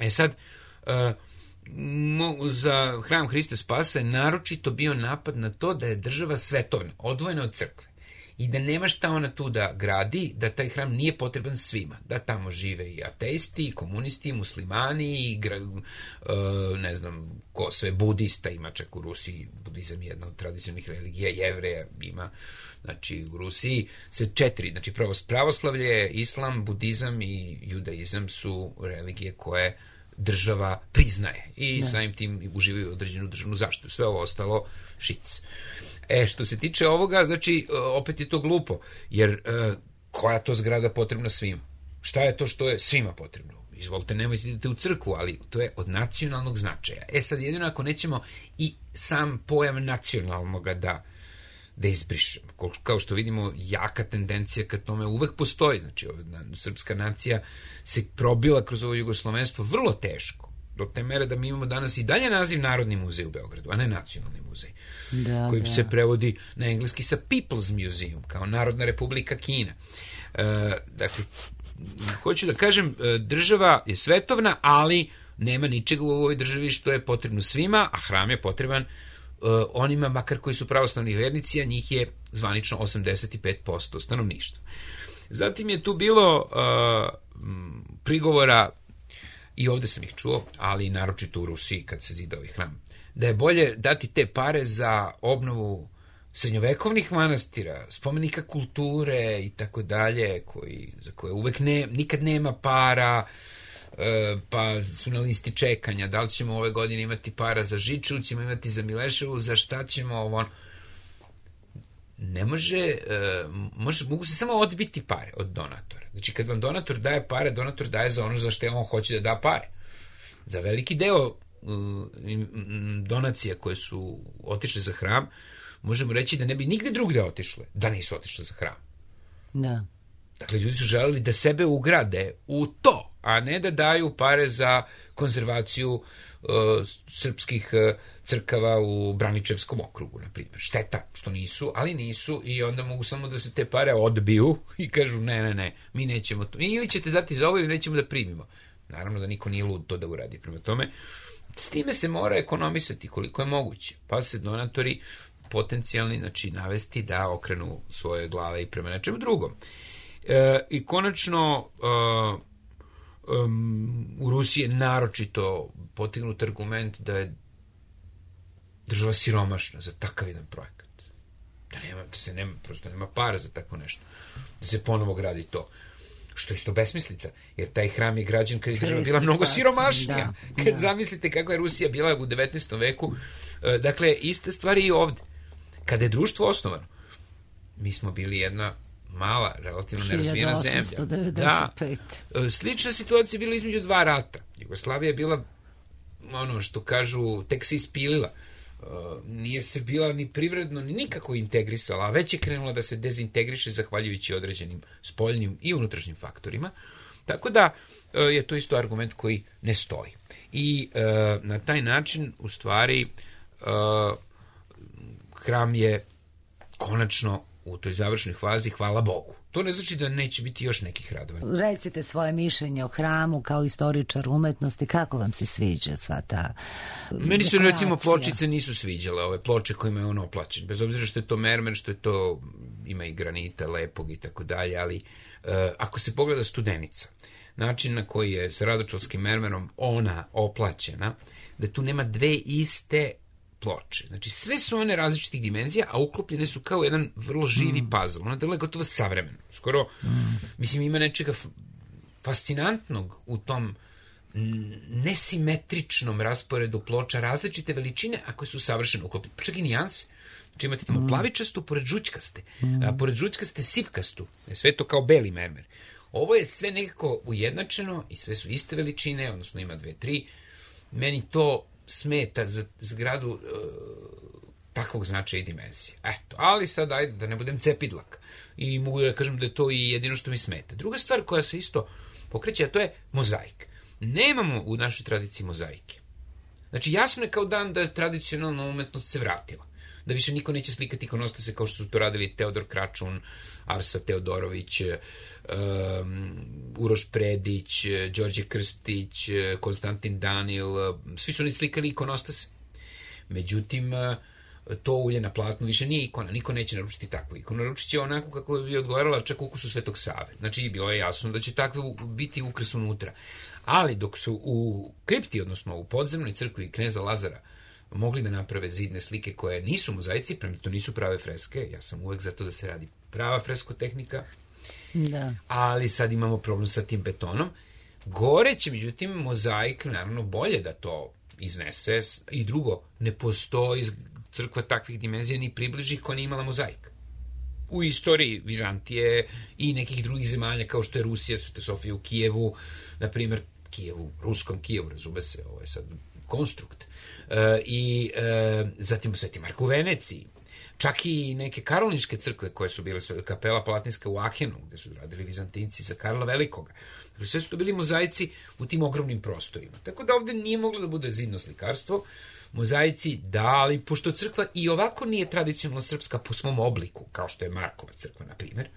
Sad, za hram Hrista Spasa je naročito bio napad na to da je država svetovna, odvojena od crkve. i da nema šta ona tu da gradi, da taj hram nije potreban svima, da tamo žive i ateisti, i komunisti, i muslimani, i ne znam ko sve, budista ima čak u Rusiji, budizam je jedna od tradicionalnih religija, Jevreja ima, znači u Rusiji se 4, znači pravoslavlje, islam, budizam i judaizam su religije koje država priznaje i samim tim uživaju određenu državnu zaštitu. Sve ovo ostalo šic. Što se tiče ovoga, znači, opet je to glupo, jer koja je to zgrada potrebna svima? Šta je to što je svima potrebno? Izvolite, nemojte idete u crkvu, ali to je od nacionalnog značaja. Sad, jedino ako nećemo i sam pojam nacionalnoga da izbrišemo. Kao što vidimo, jaka tendencija ka tome uvek postoji. Znači, srpska nacija se probila kroz ovo jugoslovenstvo vrlo teško. Do te mere da mi imamo danas i dalje naziv Narodni muzej u Beogradu, a ne Nacionalni muzej. Koji se prevodi na engleski sa People's Museum, kao Narodna republika Kina. Dakle, hoću da kažem, država je svetovna, ali nema ničega u ovoj državi što je potrebno svima, a hram je potreban onima, makar koji su pravoslavni vernici, a njih je zvanično 85% stanovništva. Zatim je tu bilo prigovora, i ovde sam ih čuo, ali naročito u Rusiji kad se zidao i hram, da je bolje dati te pare za obnovu srednjovekovnih manastira, spomenika kulture i tako dalje, za koje uvek nikad nema para, pa su na listi čekanja, da li ćemo ove godine imati para za Žiču, ili ćemo imati za Mileševu, za šta ćemo ovo. Ne mogu se samo odbiti pare od donatora. Znači, kad vam donator daje pare, donator daje za ono za što on hoće da da pare. Za veliki deo donacija koje su otišle za hram, možemo reći da ne bi nigde drugde otišle, da nisu otišle za hram. Da. Dakle, ljudi su želeli da sebe ugrade u to, a ne da daju pare za konzervaciju srpskih crkava u Braničevskom okrugu, na primjer. Šteta što nisu, ali nisu, i onda mogu samo da se te pare odbiju i kažu ne, mi nećemo to. Ili ćete dati za ovo ili nećemo da primimo. Naravno da niko nije lud to da uradi. Prema tome, s time se mora ekonomisati koliko je moguće. Pa se donatori potencijalni, znači, navesti da okrenu svoje glave i prema nečemu drugom. I konačno, u Rusiji je naročito potignut argument da je država siromašna za takav jedan projekat. Prosto nema para za tako nešto. Da se ponovo gradi to. Što je isto besmislica, jer taj hram je građen kad je država bila mnogo siromašnija. Kad zamislite kako je Rusija bila u 19. veku. Dakle, iste stvari i ovde. Kada je društvo osnovano, mi smo bili jedna mala, relativno nerazvijena zemlja. 1895. Da. Slična situacija je bila između dva rata. Jugoslavija je bila, ono što kažu, tek se ispilila. Nije se bila ni privredno, ni nikako integrisala, a već je krenula da se dezintegriše zahvaljujući određenim spoljnim i unutrašnjim faktorima. Tako da je to isto argument koji ne stoji. I na taj način, u stvari, hram je konačno u toj završnoj fazi, hvala Bogu. To ne znači da neće biti još nekih radova. Recite svoje mišljenje o hramu kao istoričar umetnosti, kako vam se sviđa sva ta Meni se, recimo, pločice nisu sviđale, ove ploče kojima je on oplaćen. Bez obzira što je to mermer, što je to, ima i granita, lepog i tako dalje, ali ako se pogleda Studenica, način na koji je sa radočalskim mermerom ona oplaćena, da tu nema dve iste ploče. Znači, sve su one različitih dimenzija, a uklopljene su kao jedan vrlo živi puzzle. Ona deluje gotovo savremeno. Skoro, mislim, ima nečega fascinantnog u tom nesimetričnom rasporedu ploča, različite veličine, a koje su savršeno uklopljene. Pa čak i nijanse. Znači, imate tamo plavičastu pored žućkaste, a pored žućkaste sivkastu. Sve to kao beli mermer. Ovo je sve nekako ujednačeno i sve su iste veličine, odnosno ima 2, 3. Meni to smeta za zgradu takvog značaja i dimenzije. Eto, ali sad ajde da ne budem cepidlak. I mogu da kažem da je to i jedino što mi smeta. Druga stvar koja se isto pokreće, a to je mozaik. Nemamo u našoj tradiciji mozaike. Znači, jasno je kao dan da je tradicionalna umetnost se vratila. Da više niko neće slikati ikonostase kao što su to radili Teodor Kračun, Arsa Teodorović, Uroš Predić, Đorđe Krstić, Konstantin Danil, svi su oni slikali ikonostase. Međutim, to ulje na platnu više nije ikona, niko neće naručiti takvu ikonu. Naručit će onako kako bi odgovarala čak ukusu Svetog Save. Znači, bilo je jasno da će takve biti ukras unutra. Ali dok su u kripti, odnosno u podzemnoj crkvi kneza Lazara, mogli da naprave zidne slike koje nisu mozaici, prema to nisu prave freske, ja sam uvek za to da se radi prava freskotehnika, da. Ali sad imamo problem sa tim betonom. Gore će, međutim, mozaik naravno bolje da to iznese. I drugo, ne postoji crkva takvih dimenzija ni približih koja nije imala mozaik. U istoriji Vizantije i nekih drugih zemalja kao što je Rusija, Svete Sofije u Kijevu, na primjer ruskom Kijevu, razume se, ovo je sad konstrukt. Zatim Sveti Marko u Veneciji. Čak i neke karolinške crkve koje su bile, kapela Palatinska u Ahenu, gde su radili Vizantinci za Karla Velikoga. Sve su to bili mozaici u tim ogromnim prostorima. Tako da ovde nije moglo da bude zidno slikarstvo. Mozaici, da, ali pošto crkva i ovako nije tradicionalno srpska po svom obliku, kao što je Markova crkva, na primjer,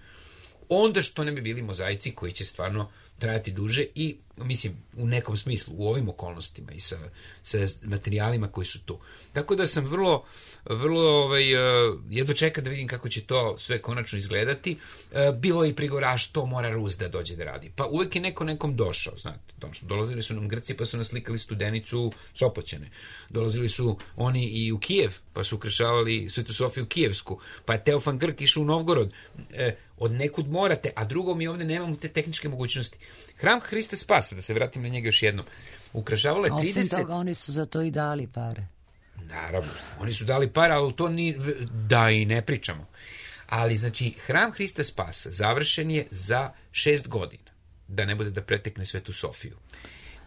onda što ne bi bili mozaici koji će stvarno trajati duže i, mislim, u nekom smislu, u ovim okolnostima i sa materijalima koji su tu. Tako da sam vrlo jedva čekam da vidim kako će to sve konačno izgledati. Bilo je i prigovora što mora Rus da dođe da radi. Pa uvek je neko nekom došao, znate. Dolazili su nam Grci pa su naslikali Studenicu Sopoćane. Dolazili su oni i u Kijev pa su ukrašavali Svetu Sofiju Kijevsku. Pa je Teofan Grk išao u Novgorod. Od nekud morate, a drugo mi ovde nemamo te tehničke mogućnosti. Hram Hrista Spasa, da se vratim na njega još jednom, ukrašavalo je 30... Osim toga, oni su za to i dali pare. Naravno, oni su dali pare, ali to da i ne pričamo. Ali, znači, Hram Hrista Spasa završen je za 6 godina, da ne bude da pretekne Svetu Sofiju.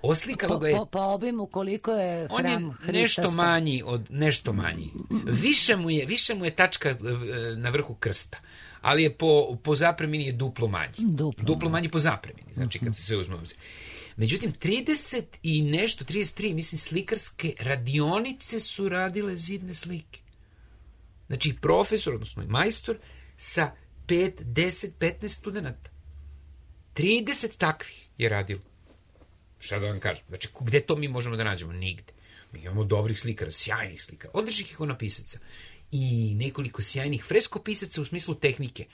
Oslikalo ga je... Po obimu koliko je Hram Hrista Spasa? Nešto manji. Više mu je tačka na vrhu krsta. Ali je po zapremini je duplo manji. Duplo manji po zapremini, znači kad se sve uzme obzir. Međutim, 33, mislim, slikarske radionice su radile zidne slike. Znači, profesor, odnosno majstor, sa 5, 10, 15 studenta. 30 takvih je radilo. Šta da vam kažem? Znači, gde to mi možemo da nađemo? Nigde. Mi imamo dobrih slikara, sjajnih slikara, odličnih ikonopisaca i nekoliko sjajnih freskopisaca u smislu tehnike.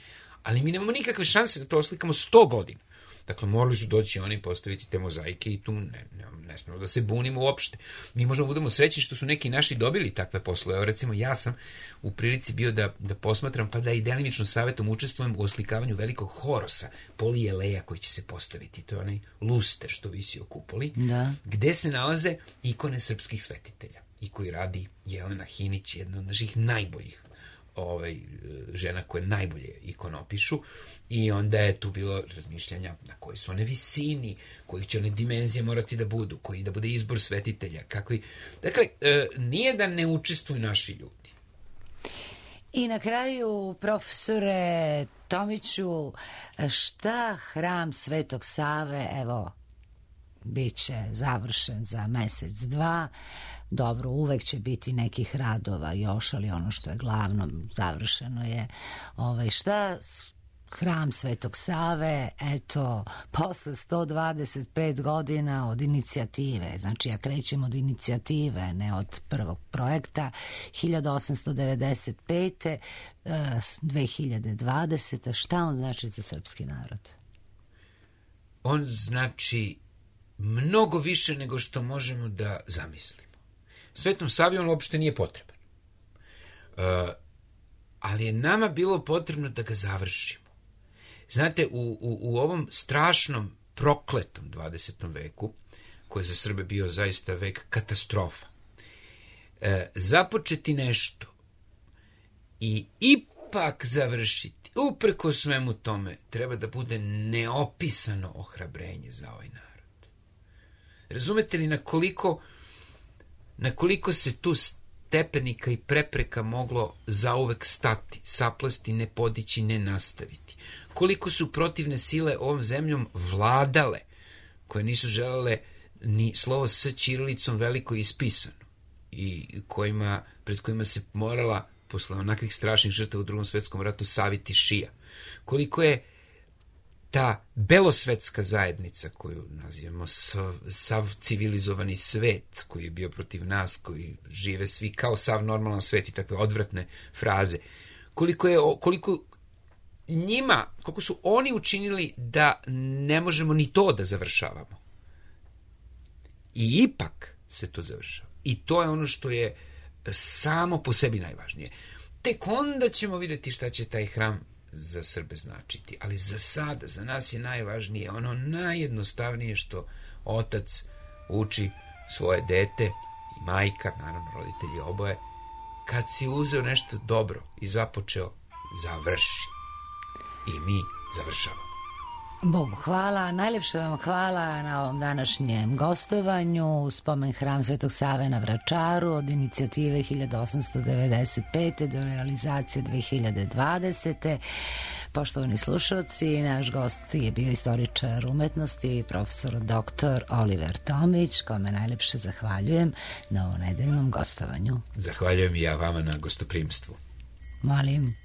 Ali mi nemamo nikakve šanse da to oslikamo 100 godina. Dakle, morali su doći oni postaviti te mozaike i tu ne smemo da se bunimo uopšte. Mi možemo budemo srećni što su neki naši dobili takve poslove. Evo, recimo, ja sam u prilici bio da posmatram, pa da i delimično savjetom učestvujem u oslikavanju velikog horosa, Polieleja koji će se postaviti. To je onaj luster što visi o kupoli, gde se nalaze ikone srpskih svetitelja i koji radi Jelena Hinić, jedna od naših najboljih žena koje najbolje ikonopišu, i onda je tu bilo razmišljanja na koji su one visini, kojih će one dimenzije morati da budu, koji da bude izbor svetitelja, kakvi. Dakle, nije da ne učestvuju naši ljudi. I na kraju, profesore Tomiću, šta Hram Svetog Save, evo, bit će završen za mesec, dva. Dobro, uvek će biti nekih radova još, ali ono što je glavno završeno je šta Hram Svetog Save, eto, posle 125 godina od inicijative, znači ja krećem od inicijative, ne od prvog projekta, 1895. 2020. Šta on znači za srpski narod? On znači mnogo više nego što možemo da zamislimo. Svetom Savi on uopšte nije potreban. Ali je nama bilo potrebno da ga završimo. Znate, u ovom strašnom, prokletom 20. veku, koji je za Srbe bio zaista vek katastrofa, započeti nešto i ipak završiti, upreko svemu tome, treba da bude neopisano ohrabrenje za ovaj narod. Razumete li na koliko se tu stepenika i prepreka moglo zauvek stati, saplesti, ne podići, ne nastaviti? Koliko su protivne sile ovom zemljom vladale, koje nisu želele ni slovo s ćirilicom veliko ispisano i pred kojima se morala, posle onakvih strašnih žrtava u Drugom svetskom ratu, saviti šija? Koliko je ta belosvetska zajednica koju nazivamo sav civilizovani svet koji je bio protiv nas, koji žive svi kao sav normalan svet i takve odvratne fraze, koliko su oni učinili da ne možemo ni to da završavamo. I ipak se to završava. I to je ono što je samo po sebi najvažnije. Tek onda ćemo vidjeti šta će taj hram za Srbe značiti. Ali za sada, za nas je najvažnije ono najjednostavnije što otac uči svoje dete i majka, naravno roditelji oboje, kad si uzeo nešto dobro i započeo, završi. I mi završavamo. Bogu hvala, najljepše vam hvala na ovom današnjem gostovanju, spomen hram Svetog Save na Vračaru, od inicijative 1895. do realizacije 2020. Poštovani slušalci, naš gost je bio istoričar umetnosti, profesor dr. Oliver Tomić, kome najljepše zahvaljujem na ovom nedeljnom gostovanju. Zahvaljujem i ja vama na gostoprimstvu. Molim.